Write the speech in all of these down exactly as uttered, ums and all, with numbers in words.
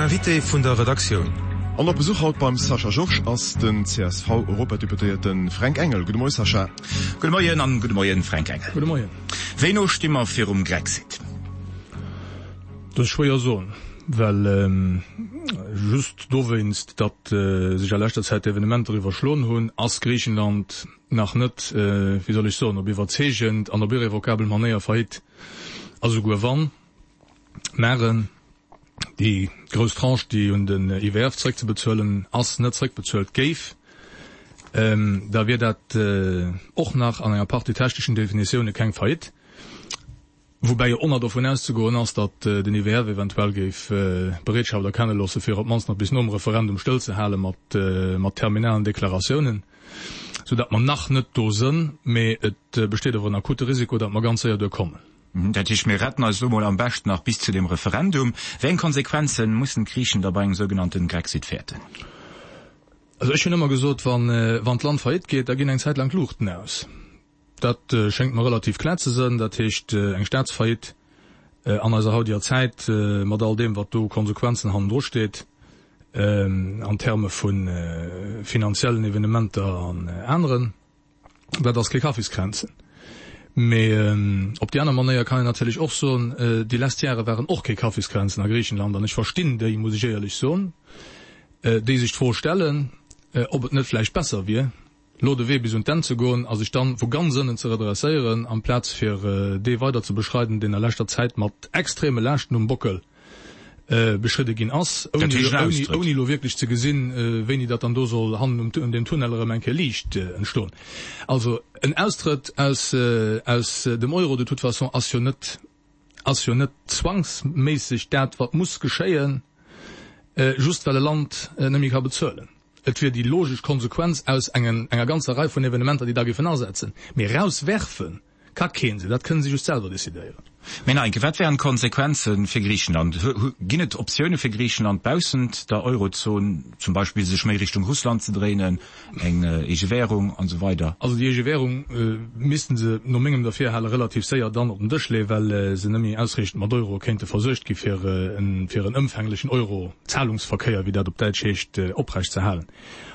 Invité vun der Redaktioun. An op Besuch haut beim Sascha Georges ass den C S V-Europadeputéierte Fränk Engel. Gudde Moie Sascha. Gudde Moien an gudde Moien Fränk Engel. Gudde Moien. Wéi no sti mer virum Grexit? Dat ass schwéier soen, well just dowéinst, datt sech a leschter Zäit d'Evenementer iwwerschloen hunn, ass Griichenland nach net, wéi soll ech soen, op iwwerzeegend an op irrevocabel Manéier faillite. A souguer wann maren déi grouss Tranche, déi un den I W F zréckzebezuelen ass, net zréckbezuelt géif, da wier dat och nach an enger Partie techneschen Definitioune keng Faillite. Woubäi jo och nach dovun auszegoen ass, datt den I W F eventuell géif Bereetschaft erkenne loosse fir op d'mannst nach bis nom Referendum stëllzehale mat mat terminalen Deklaratiounen, sou datt mer nach net do sënn, mee et besteet awer en akute Risiko, datt mer ganz séier duer kommen. Dat heescht, mir retten eis elo mol am beschten nach bis zu dem Referendum. Wéi eng Konsequenzen mussen d'Griichen da bei engem sougenannten Grexit fäerten? Also ech hunn ëmmer gesot, wann wann d'Land faillite geet, da ginn eng Zäit laang d'Luuchten aus. Dat schéngt mer relativ kloer ze sënn. Dat heescht, eng Staatsfaillite an eiser hautiger Zäit, mat all deem, wat do u Konsequenzen hannendru steet, an Terme vu finanziellen Evenementer an aneren, dat ass kee Kaffiskränzen. Mee op déi aner Manéier kann een natierlech och soen, déi lescht Jahre waren och kee Kaffiskränzen a Griichenland. An ech verstinn déi, muss ech éierlech soen, déi sech d'Fro stellen, ob et net vläicht besser wier, lo de Wee bis un d'Enn ze goen a sech dann vu ganz ënnen ze redresséieren, amplaz fir dee weider ze beschreiden, deen a leschter Zäit mat extreme Laaschten um Bockel beschridde ginn ass, Dat heescht en Austrëtt. ouni elo wierklech ze gesinn, wéini datt dann do soll hannen um deem Tunnel erëm eng Kéier Liicht entstoen. Also en Austrëtt aus aus dem Euro de toute façon ass jo net ass jo net zwangsméisseg dat, wat muss geschéien, just well e Land net méi ka bezuelen. Et wier déi logesch Konsequenz aus engen enger ganzer Rei vun Evenementer, déi da géifen asetzen. Mee erauswerfe ka kee se, dat kënne si just selwer decidéieren. Mee nach eng Kéier, wat wären d'Konsequenze fir Griichenland? Ginn et Optioune fir Griichenland baussent der Eurozon, zum Beispill sech méi Richtung Russland ze dréinen, eng eege Währung an esou weider? Also déi eege Währung missten se no mengem Derfirhale relativ séier dann op den Dësch leeën, well se net méi ausreechend mat Euro kéinte versuergt gi fir en fir en ëmfänglechen Euro-Zahlungsverkéier, wéi dat op Däitsch heescht, oprecht ze halen.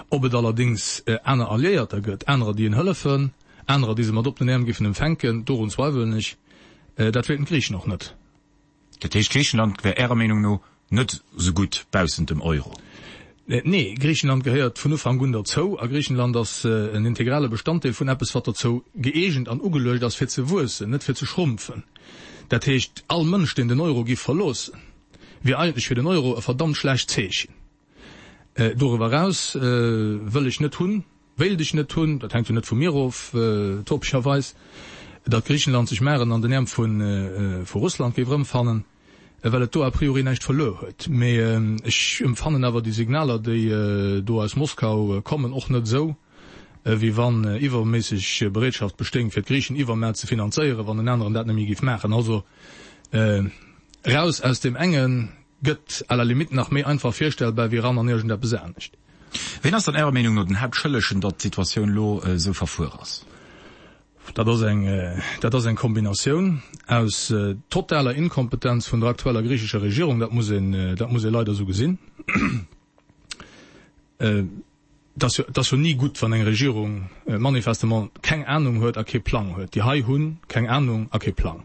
Ob et allerdéngs aner Alliéierter gëtt, anerer déi en hëllefen, anerer déi se mat oppenen Äerm géifen empfänken, dorun zweiwelen ech. Dat wéilten d'Griichen och net. Dat heescht, Griichenland wär Ärer Meenung no net esou gutt baussent dem Euro? Nee, Griichenland gehéiert vun Ufank un derzou a Griichenland ass en integrale Bestanddeel vun eppes, wat derzou gëeegent an ugeluecht ass fir ze wuessen, net fir ze schrumpfen. Dat heescht, all Mënsch, deen den Euro giff verloossen, wier eigentlech fir den Euro e verdammt schlecht Zeechen. Doriwwer eraus wëll ech net hunn, wéilt ech net hunn, dat hänkt jo net vu mir of, topescherweis, datt Griichenland sech maren an den Äerm vu Russland géif erëmfannen, well et do a priori näischt verluer huet. Mee ech emfannen awer déi Signaler, déi do aus Moskau kommen, och net esou, wéi wann iwwerméisseg Bereetschaft bestéing, fir d'Griichen iwwer ze finanzéieren, wann en aneren dat net méi géif maachen. Also eraus aus deem enge gëtt à la limite nach méi einfach virstellbar wéi eran an iergendeppes anescht. Ween ass dann Ärer Meenung no den Haaptschëllegen, datt d'Situatioun elo esou verfuer ass? Dat ass eng, dat ass eng Kombinatioun aus totaler Inkompetenz vun der aktueller griichescher Regierung, dat muss een, dat muss ee leider esou gesinn. Et ass jo, et ass jo ni gutt, wann eng Regierung manifestement keng Anung huet a kee Plang huet. Déi hei hu keng Anung a kee Plang.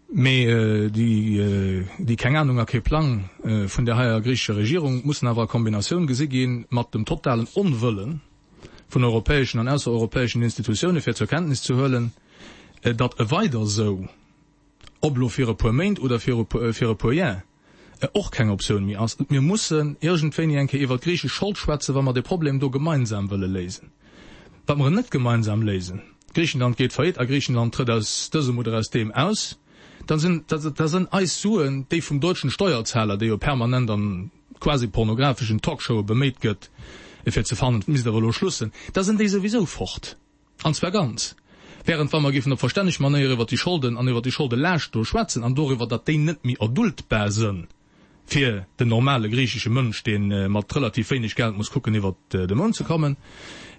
Mee déi, déi keng Anung a kee Plang vun där heier griichescher Regierung mussen awer a Kombinatioun gesi gi mat dem totalen Onwëllen vun europäeschen an aussereuropäeschen Institutioune fir zur Kenntnis ze huelen, datt e weider esou, ob elo fir e puer Méint oder fir e puer Jar, och keng Optioun méi ass. Mir mussen iergendwéini eng Kéier iwwert d'griichesch Schold schwätzen, wa mer dee Problem do gemeinsam wëlle léisen. Wa mer en net gemeinsam léisen, Griichenland geet faillite a Griichenland trëtt aus dësem oder aus deem aus, da sinn, da sinn eis Suen, déi vum deutschen Steuerzahler, dee jo permanent an quasi pornografeschen Talkshowe beméit gëtt, fir ze fannen, et misst awer elo Schluss sinn, da sinn déi souwisou fort, an zwar ganz. Während wa mer géifen op verstänneg Manéier iwwert déi Scholden an iwwert déi Scholdelaascht do schwätzen an doriwwer, datt déi net méi erduldbar sënn fir den normale griichesche Mënsch, dee mat relativ wéineg Geld muss kucken iwwert de Mount ze kommen,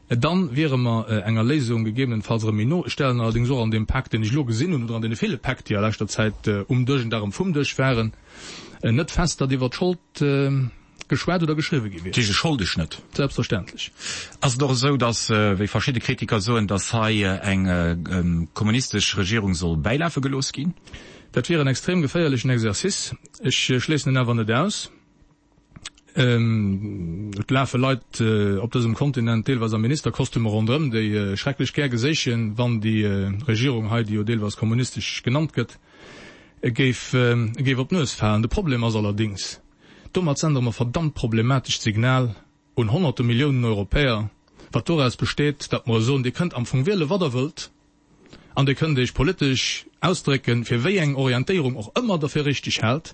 Dann wiere mer enger Léisung gegebenenfalls erëm méi no. Ech stellen allerdéngs och an deem Pak, deen ech elo gesinn hunn, oder an deene ville Päck, déi a leschter Zäit um Dësch und erëm vum Dësch waren, net fest, datt iwwert d'Schold geschwat oder geschriwwe gi wier. Dat heescht, e Scholdeschnëtt? Selbstverständlech. Ass et och esou, datt, wéi verschidde Kritiker soen, datt hei eng kommunistesch Regierung soll bäilafe gelooss ginn? Dat wier en extrem geféierlechen Exercice. Ech schléissen en awer net aus. Et lafe Leit op dësem Kontinent, deelweis a Ministerkostümer ronderëm, déi schrecklech gär geséichen, wann déi Regierung hei, déi jo deelweis kommunistesch genannt gëtt, géif géif op d'Nues falen. De Problem ass allerdéngs, domat sendere mer verdammt problematescht Signal un honnerte Milliounen Europäer, wat doraus besteet, datt mer soen, Dir kënnt am Fong wiele wat Der wëllt an Dir kënnt Iech politesch ausdrécken, fir wéi eng Orientéierung och ëmmer Der fir richteg haalt.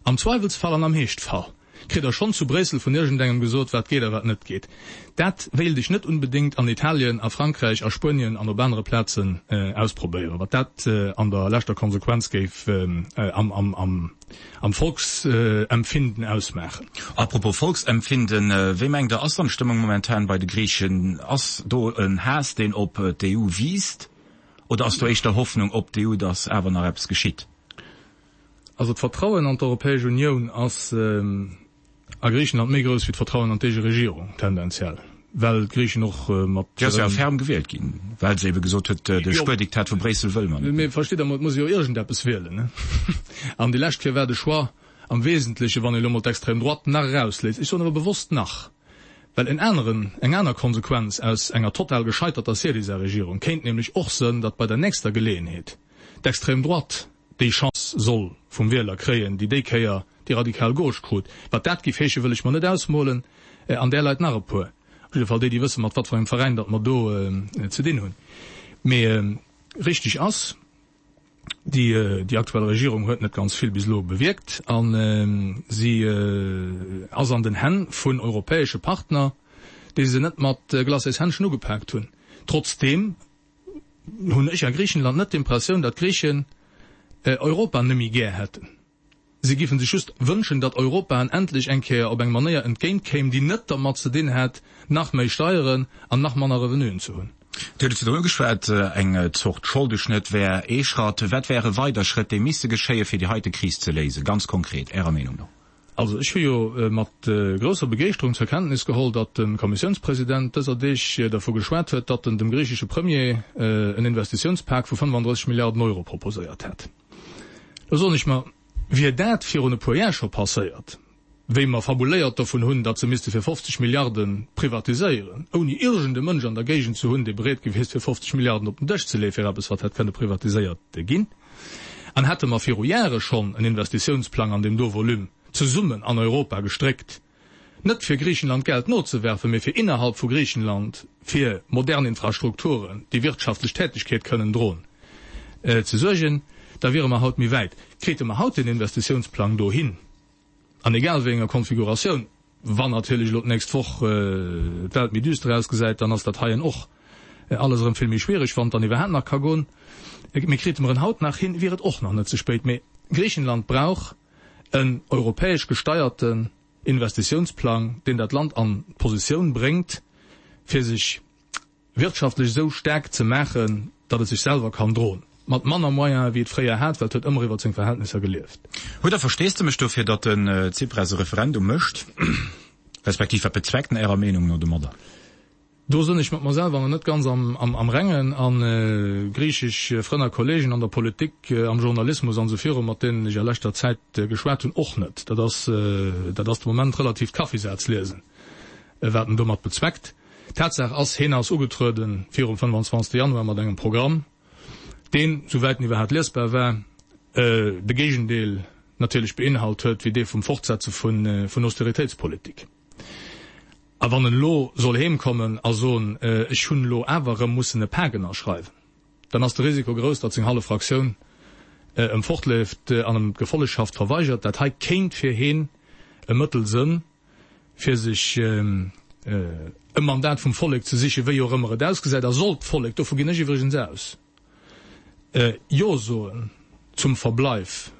Am Zweiwelsfall an am Heeschtfall kritt Der schonn zu Bréissel vun iergendengem gesot, wat geet a wat net geet. Dat wéilt ech net unbedéngt an Italien, a Frankräich, a Spuenien an op anere Plazen ausprobéieren, wat dat an der leschter Konsequenz géif am Volksempfinden ausmaachen. A propos Volksempfinden, Wéi mengt Der, ass dann d'Stëmmung momentan bei de Griichen? Ass do en Haass, deen op d'EU wiisst, oder ass do éischter Hoffnung op d'EU, datt awer nach eppes geschitt? Also d'Vertrauen an d'Europäesch Unioun ass a Griichenland méi grouss wéi d'Vertrauen an d'eege Regierung, tendenziell, well d'Griichen och mat. Déi ass jo awer ferm gewielt ginn, well se ebe gesot huet, de Spuerdiktat vu Bréissel wëlle mer net. Mee versteet Der, et muss ee jo iergendeppes wielen, ne? An déi lescht Kéier war de Choix am Wesentleche, wann ee elo mol d'Extrême droite nach erausléisst, ech soen awer bewosst nach, well en aneren, eng aner Konsequenz aus enger total gescheiterter Syriza-Regierung kéint nämlech och sënn, datt bei der nächster Geleeënheet d'Extrême droite déi Chance soll vum Wieler kréien, déi déi Kéier déi radikal Gauche krut. Wat dat géif heeschen, wëll ech mer net ausmolen, an där Leit nach e puer, op jidde Fall déi, déi wëssen, mat wat fir engem Veräin datt mer do ze dinn hunn. Mee richteg ass, déi, déi aktuell Regierung huet net ganz vill bis elo bewierkt a si ass an den Hänn vun europäesche Partner, déi se net mat Glacéshändschen ugepaakt hunn. Trotzdeem hunn ech a Griichenland net d'Impressioun, datt d'Griichen Europa nëmme gär hätten. Si giffen sech just wënschen, datt Europa en endlech eng Kéier op eng Manéier entgéint kéim, déi net dermat ze dinn hätt, nach méi Steieren an nach manner Revenuen ze hunn. Dir hutt et virdrun ugeschwat, eng Zort Scholdeschnëtt wär ee Schratt. Wat wäre weider Schrëtt, déi misste geschéien, fir déi heite Kris ze léisen, ganz konkret, Ärer Meenung no? Also ech hu jo mat grousser Begeeschterung zur Kenntnis geholl, datt de Kommissiounspresident dëser Deeg dervu geschwat huet, datt en dem griichesche Premier en Investitiounspak vu fënnefandrësseg Milliarden Euro proposéiert hätt. Do soen ech mer, wier dat virun e puer Jar scho passéiert, wéi mer fabuléiert dovun hunn, datt se misste fir fofzeg Milliarde privatiséieren, ouni iergend e Mënsch an der Géigend ze hunn, dee bereet gewiescht wier, fofzeg Milliarden op den Dësch ze leeë fir eppes, wat hätt kënne privatiséiert ginn, an hätte mer viru Jahre schonn en Investitiounsplang an deem do Volume zesummen an Europa gestréckt, net fir Griichenland Geld nozewerfen, mee fir innerhalb vu Griichenland fir modern Infrastrukturen, déi wirtschaftlech Tätigkeet kënnen droen, ze suergen, da wiere mer haut méi wäit. Krite mer haut deen Investitiounsplang do hin, an egal wéi enger Konfiguratioun, wann natierlech elo d'nächst Woch d'Welt méi düster ausgesäit, dann ass dat heien och alles erëm vill méi schwiereg, wann et dann iwwerhaapt nach ka goen, mee krite mer en haut nach hin, wier et och nach net ze spéit. Mee Griichenland brauch en europäesch gesteierten Investitiounsplang, deen dat Land an d'Positioun bréngt, fir sech wirtschaftlech esou staark ze maachen, datt et sech selwer kann droen, mat manner Moyene wéi et fréier hat, well et huet ëmmer iwwer seng Verhältnisser gelieft. Hutt Der Versteesdemech dofir, datt den Tsipras e Referendum mécht, respektiv wat bezweckt en Ärer Meenung no domadder? Do sënn ech mat mer selwer nach net ganz am Rengen a griichesch Frënn a Kollegen an der Politik, am Journalismus an esou viru, mat deenen ech a leschter Zäit geschwat hunn, och net. Dat ass, dat ass de Moment relatiivt Kaffisazliesen, wat en domat bezweckt. Tatsaach ass, hien ass ugetruede virum fënnefanzwanzegste Januar mat engem Programm, deen, souwäit en iwwerhaapt liesbar war, de Géigendeel natierlech beinhalt huet wéi dee vum Fortsetze vun Austeritéitspolitik. A wann en elo soll heem kommen a soen, ech hunn elo awer erëm mussen e Pak ënnerschreiwen, dann ass de Risiko grouss, datt seng hallef Fraktioun em fortleeft an em d'Gefollegschaft verweigert. Dat hei kéint fir heen e Mëttel sënn, fir sech e Mandat vum Vollek ze sichen, wéi och ëmmer et ausgesäit. A sollt d'Vollek, dovu ginn ech iwwregens aus, Jo soen zum Verbleif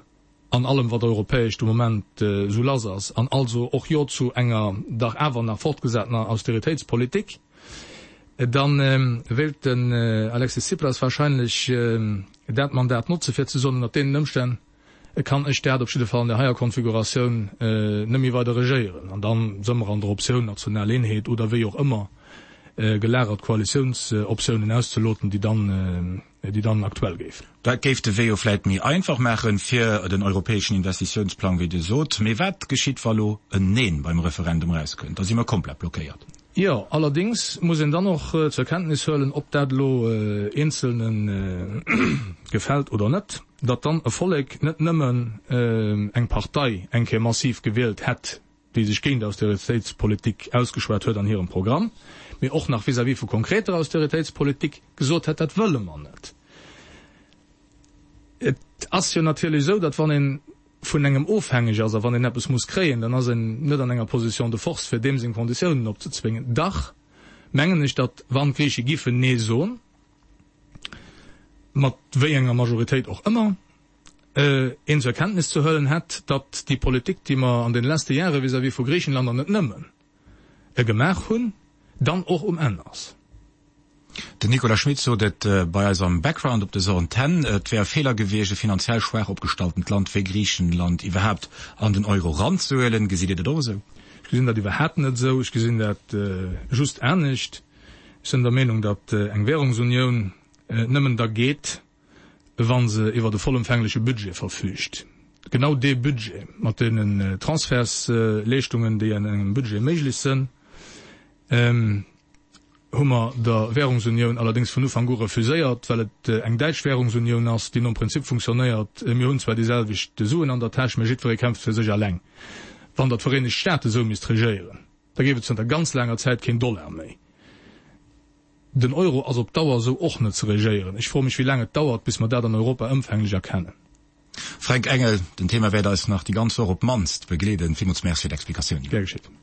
an allem wat europäesch de Moment esou lass ass, an also och Jo zu enger dach awer nach fortgesatener Austeritéitspolitik, Da wéilt den Alexis Tsipras wahrscheinlech dat Mandat notze fir ze soen, ënner deenen Ëmstänn kann ech dat op jidde Fall an där heier Konfiguratioun net méi weider regéieren. An da si mer an der Optioun national Eenheet oder wéi och ëmmer gelagert Koalitiounsoptiounen auszeloten, déi dann, déi dann aktuell géifen. Dat géif de Wee jo vläit méi einfach maachen fir den europäeschen Investitiounsplang, wéi Dir sot. Mee wat geschitt, wa lo en Neen beim Referendum erauskënnt? Da si mer komplett blockéiert. Jo, allerdéngs muss een dann och zur Kenntnis huelen, ob dat elo Eenzelne gefält oder net, datt dann e Vollek net nëmmen eng Partei eng Kéier massiv gewielt hätt, déi sech géint Austeritéitspolitik ausgeschwat huet an hirem Programm, mee och nach vis-à-vis vu konkreter Austeritéitspolitik gesot hätt, dat wëlle mer net. Et ass jo natierlech esou, datt wann ee vun engem ofhängeg ass a wann een eppes muss kréien, dann ass een net an enger Position de force, fir deem seng Konditiounen opzezwéngen. Dach mengen ech, datt wann d'Griiche giffen Nee soen, mat wéi enger Majoritéit och ëmmer, een zur Kenntnis ze huelen hätt, datt déi Politik, déi mer an den leschte Jahre vis-à-vis vu Griichenland an net nëmmen, gemaach hunn, dann och um Enn ass. Den Nicolas Schmit sot et bei eis am Background op dëser Antenn, et wär e Feeler gewiescht, e finanziell schwaach opgestalltent Land wéi Griichenland iwwerhaapt an den Euro eranzehuelen. Gesitt Dir dat och esou? Ech gesinn dat iwwerhaapt net esou. Ech gesinn dat just anescht. Ech sinn der Meenung, datt eng Währungsunioun nëmmen da geet, wa se iwwert e vollëmfängleche Budget verfüügt. Genau dee Budget mat deenen Transfertsleeschtungen, déi an engem Budget méiglech sinn, hu mer der Währungsunioun allerdéngs vun Ufank u refuséiert, well et eng däitsch Währungsunioun ass, déi nom Prinzip funktionéiert, mir hunn zwar déi selwecht Suen an der Täsch, mä jiddweree kämpft fir sech eleng. Wann der d'Vereenegt Staate sou misst regéieren, da géif et zënter ganz laanger Zäit keen Dollar méi. Den Euro ass op Dauer esou och net ze regéieren. Ech froe mech, wéi laang et dauert, bis mer dat an Europa ëmfänglech erkennen. Fränk Engel, den Thema wäert eis nach déi ganz Woch op d'mannst begleeden. Villmools Merci fir d'Explikatiounen. Gär geschitt.